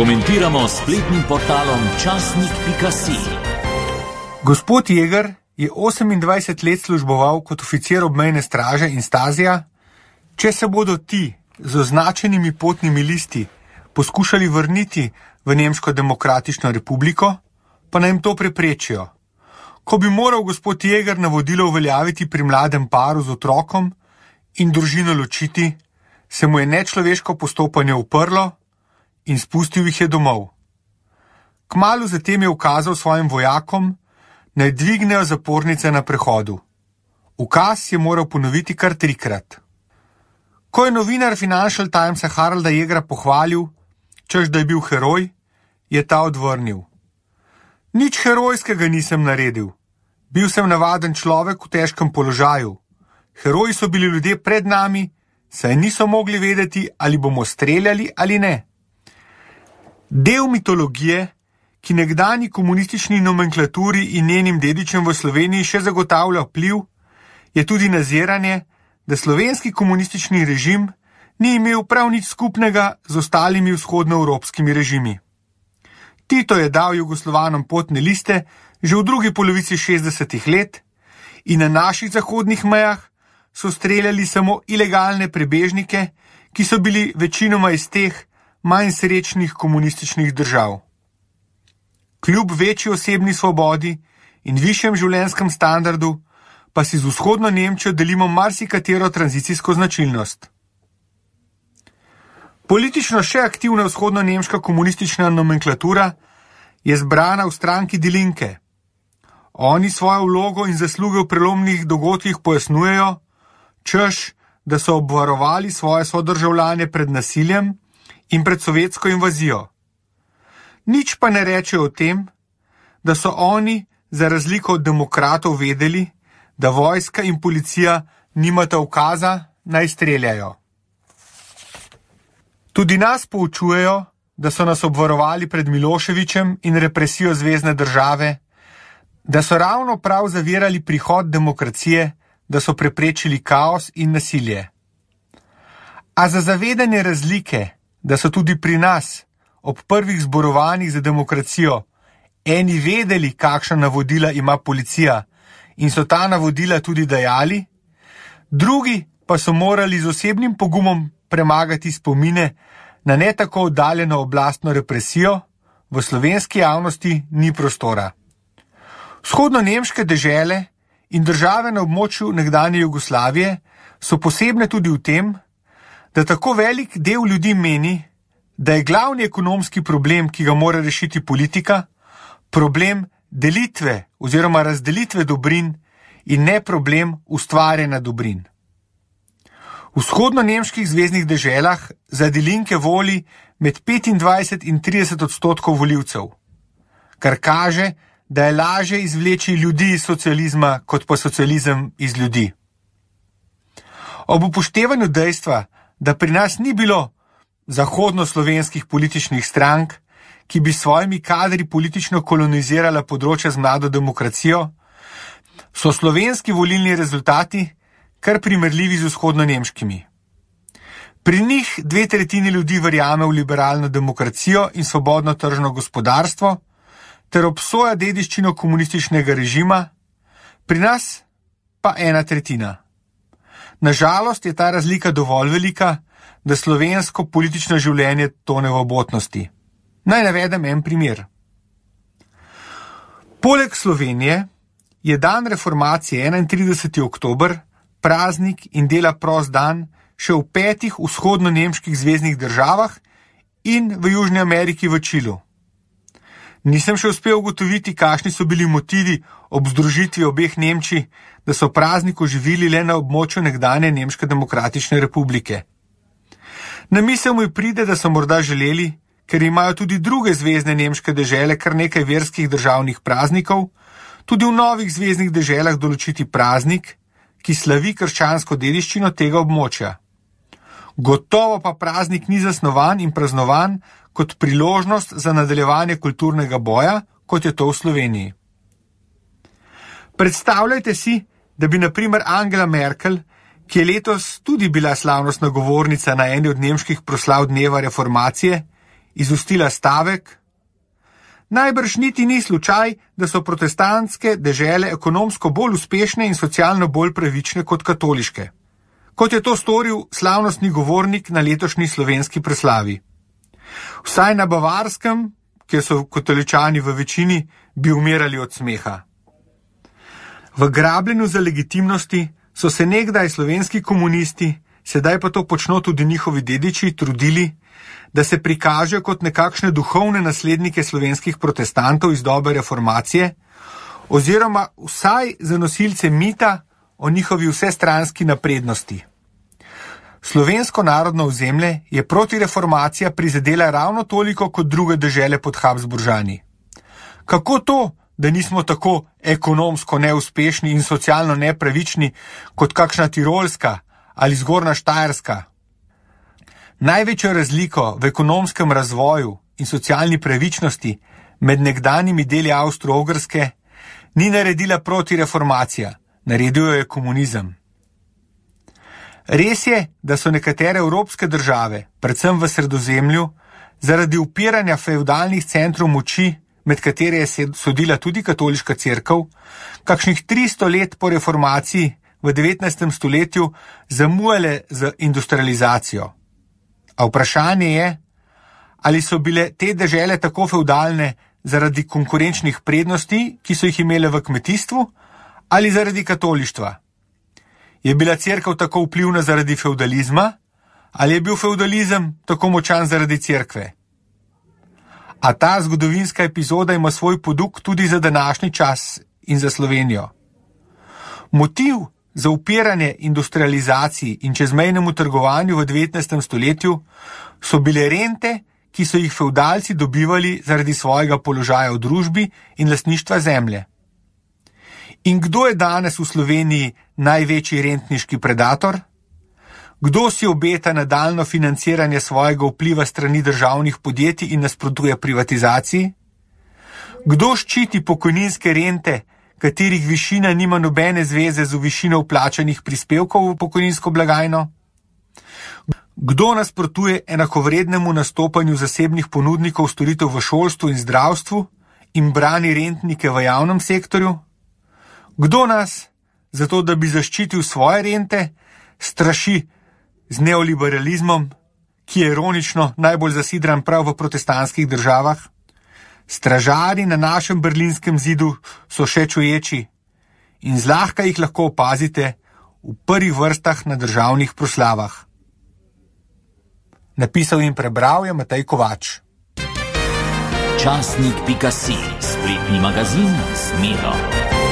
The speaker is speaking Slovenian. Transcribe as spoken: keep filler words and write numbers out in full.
Komentiramo s spletnim portalom časnik pika si. Gospod Jeger je osemindvajset let služboval kot oficir obmejne straže in Stazija. Če se bodo ti z označenimi potnimi listi poskušali vrniti v Nemško demokratično republiko, pa naj jim to preprečijo. Ko bi moral gospod Jeger navodilo uveljaviti pri mladem paru z otrokom in družino ločiti, se mu je nečloveško postopanje uprlo in spustil jih je domov. Kmalu zatem je ukazal svojim vojakom, naj dvignejo zapornice na prehodu. Ukaz je moral ponoviti kar trikrat. Ko je novinar Financial Timesa Haralda Jegera pohvalil, češ da je bil heroj, je ta odvrnil. Nič herojskega nisem naredil. Bil sem navaden človek v težkem položaju. Heroji so bili ljudje pred nami, saj niso mogli vedeti, ali bomo streljali ali ne. Del mitologije, ki nekdanji komunistični nomenklaturi in njenim dedičem v Sloveniji še zagotavlja vpliv, je tudi naziranje, da slovenski komunistični režim ni imel prav nič skupnega z ostalimi vzhodnoevropskimi režimi. Tito je dal Jugoslovanom potne liste že v drugi polovici šestdesetih let in na naših zahodnih mejah so streljali samo ilegalne prebežnike, ki so bili večinoma iz teh manj srečnih komunističnih držav. Kljub večji osebni svobodi in višjem življenjskem standardu pa si z vzhodno Nemčijo delimo marsikatero tranzicijsko značilnost. Politično še aktivna vzhodno-nemška komunistična nomenklatura je zbrana v stranki Die Linke. Oni svojo vlogo in zasluge v prelomnih dogodkih pojasnjujejo, češ, da so obvarovali svoje sodržavljane pred nasiljem in pred sovjetsko invazijo. Nič pa ne rečejo o tem, da so oni, za razliko od demokratov, vedeli, da vojska in policija nimata ukaza, naj streljajo. Tudi nas poučujejo, da so nas obvarovali pred Miloševićem in represijo zvezne države, da so ravno prav zavirali prihod demokracije, da so preprečili kaos in nasilje. A za zavedanje razlike, da so tudi pri nas, ob prvih zborovanjih za demokracijo, eni vedeli, kakšna navodila ima policija in so ta navodila tudi dajali, drugi pa so morali z osebnim pogumom premagati spomine na ne tako oddaljeno oblastno represijo, v slovenski javnosti ni prostora. Vzhodno-nemške dežele in države na območju nekdanje Jugoslavije so posebne tudi v tem, da tako velik del ljudi meni, da je glavni ekonomski problem, ki ga mora rešiti politika, problem delitve oziroma razdelitve dobrin in ne problem ustvarjanja dobrin. V vzhodno-nemških zveznih deželah za Die Linke voli med petindvajset in trideset odstotkov volivcev, kar kaže, da je lažje izvleči ljudi iz socializma, kot pa socializem iz ljudi. Ob upoštevanju dejstva, da pri nas ni bilo zahodnoslovenskih političnih strank, ki bi s svojimi kadri politično kolonizirala področja z mlado demokracijo, so slovenski volilni rezultati kar primerljivi z vzhodno-nemškimi. Pri njih dve tretjini ljudi verjame v liberalno demokracijo in svobodno tržno gospodarstvo ter obsoja dediščino komunističnega režima, pri nas pa ena tretjina. Nažalost je ta razlika dovolj velika, da slovensko politično življenje tone v obotnosti. Naj navedem en primer. Poleg Slovenije je dan reformacije enaintrideseti oktober praznik in dela prost dan še v petih vzhodno-nemških zveznih državah in v Južni Ameriki v Čilu. Nisem še uspel ugotoviti, kakšni so bili motivi ob združitvi obeh Nemčij, da so praznik oživili le na območju nekdanje Nemške demokratične republike. Na misel mi pride, da so morda želeli, ker imajo tudi druge zvezne nemške dežele kar nekaj verskih državnih praznikov, tudi v novih zveznih deželah določiti praznik, ki slavi krščansko dediščino tega območja. Gotovo pa praznik ni zasnovan in praznovan kot priložnost za nadaljevanje kulturnega boja, kot je to v Sloveniji. Predstavljajte si, da bi na primer Angela Merkel, ki je letos tudi bila slavnostna govornica na eni od nemških proslav dneva reformacije izustila stavek: najbrž niti ni slučaj, da so protestantske dežele ekonomsko bolj uspešne in socialno bolj pravične kot katoliške, kot je to storil slavnostni govornik na letošnji slovenski proslavi. Vsaj na Bavarskem, kjer so katoličani v večini, bi umirali od smeha. V grabljenju za legitimnosti so se nekdaj slovenski komunisti, sedaj pa to počno tudi njihovi dediči, trudili, da se prikažejo kot nekakšne duhovne naslednike slovenskih protestantov iz dobe reformacije, oziroma vsaj za nosilce mita o njihovi vsestranski naprednosti. Slovensko narodno ozemlje je protireformacija prizadela ravno toliko kot druge dežele pod Habsburžani. Kako to, da nismo tako ekonomsko neuspešni in socialno nepravični kot kakšna Tirolska ali Zgornja Štajerska? Največjo razliko v ekonomskem razvoju in socialni pravičnosti med nekdanjimi deli Avstro-Ogrske ni naredila protireformacija, naredil jo je komunizem. Res je, da so nekatere evropske države, predvsem v Sredozemlju, zaradi upiranja fevdalnih centrov moči, med katere je sodila tudi katoliška cerkev, kakšnih tristo let po reformaciji v devetnajstem stoletju zamujale z industrializacijo. A vprašanje je, ali so bile te dežele tako fevdalne zaradi konkurenčnih prednosti, ki so jih imele v kmetijstvu, ali zaradi katolištva. Je bila cerkev tako vplivna zaradi fevdalizma, ali je bil fevdalizem tako močan zaradi cerkve? A ta zgodovinska epizoda ima svoj poduk tudi za današnji čas in za Slovenijo. Motiv za upiranje industrializaciji in čezmejnemu trgovanju v devetnajstem stoletju so bile rente, ki so jih fevdalci dobivali zaradi svojega položaja v družbi in lastništva zemlje. In kdo je danes v Sloveniji največji rentniški predator? Kdo si obeta nadaljno financiranje svojega vpliva strani državnih podjetij in nasprotuje privatizaciji? Kdo ščiti pokojninske rente, katerih višina nima nobene zveze z višino vplačanih prispevkov v pokojninsko blagajno? Kdo nasprotuje enakovrednemu nastopanju zasebnih ponudnikov storitev v šolstvu in zdravstvu in brani rentnike v javnem sektorju? Kdo nas, zato da bi zaščitil svoje rente, straši z neoliberalizmom, ki je ironično najbolj zasidran prav v protestantskih državah? Stražarji na našem berlinskem zidu so še čuječi in zlahka jih lahko opazite v prvih vrstah na državnih proslavah. Napisal in prebral je Matej Kovač. Časnik pika si, spletni magazin Smero.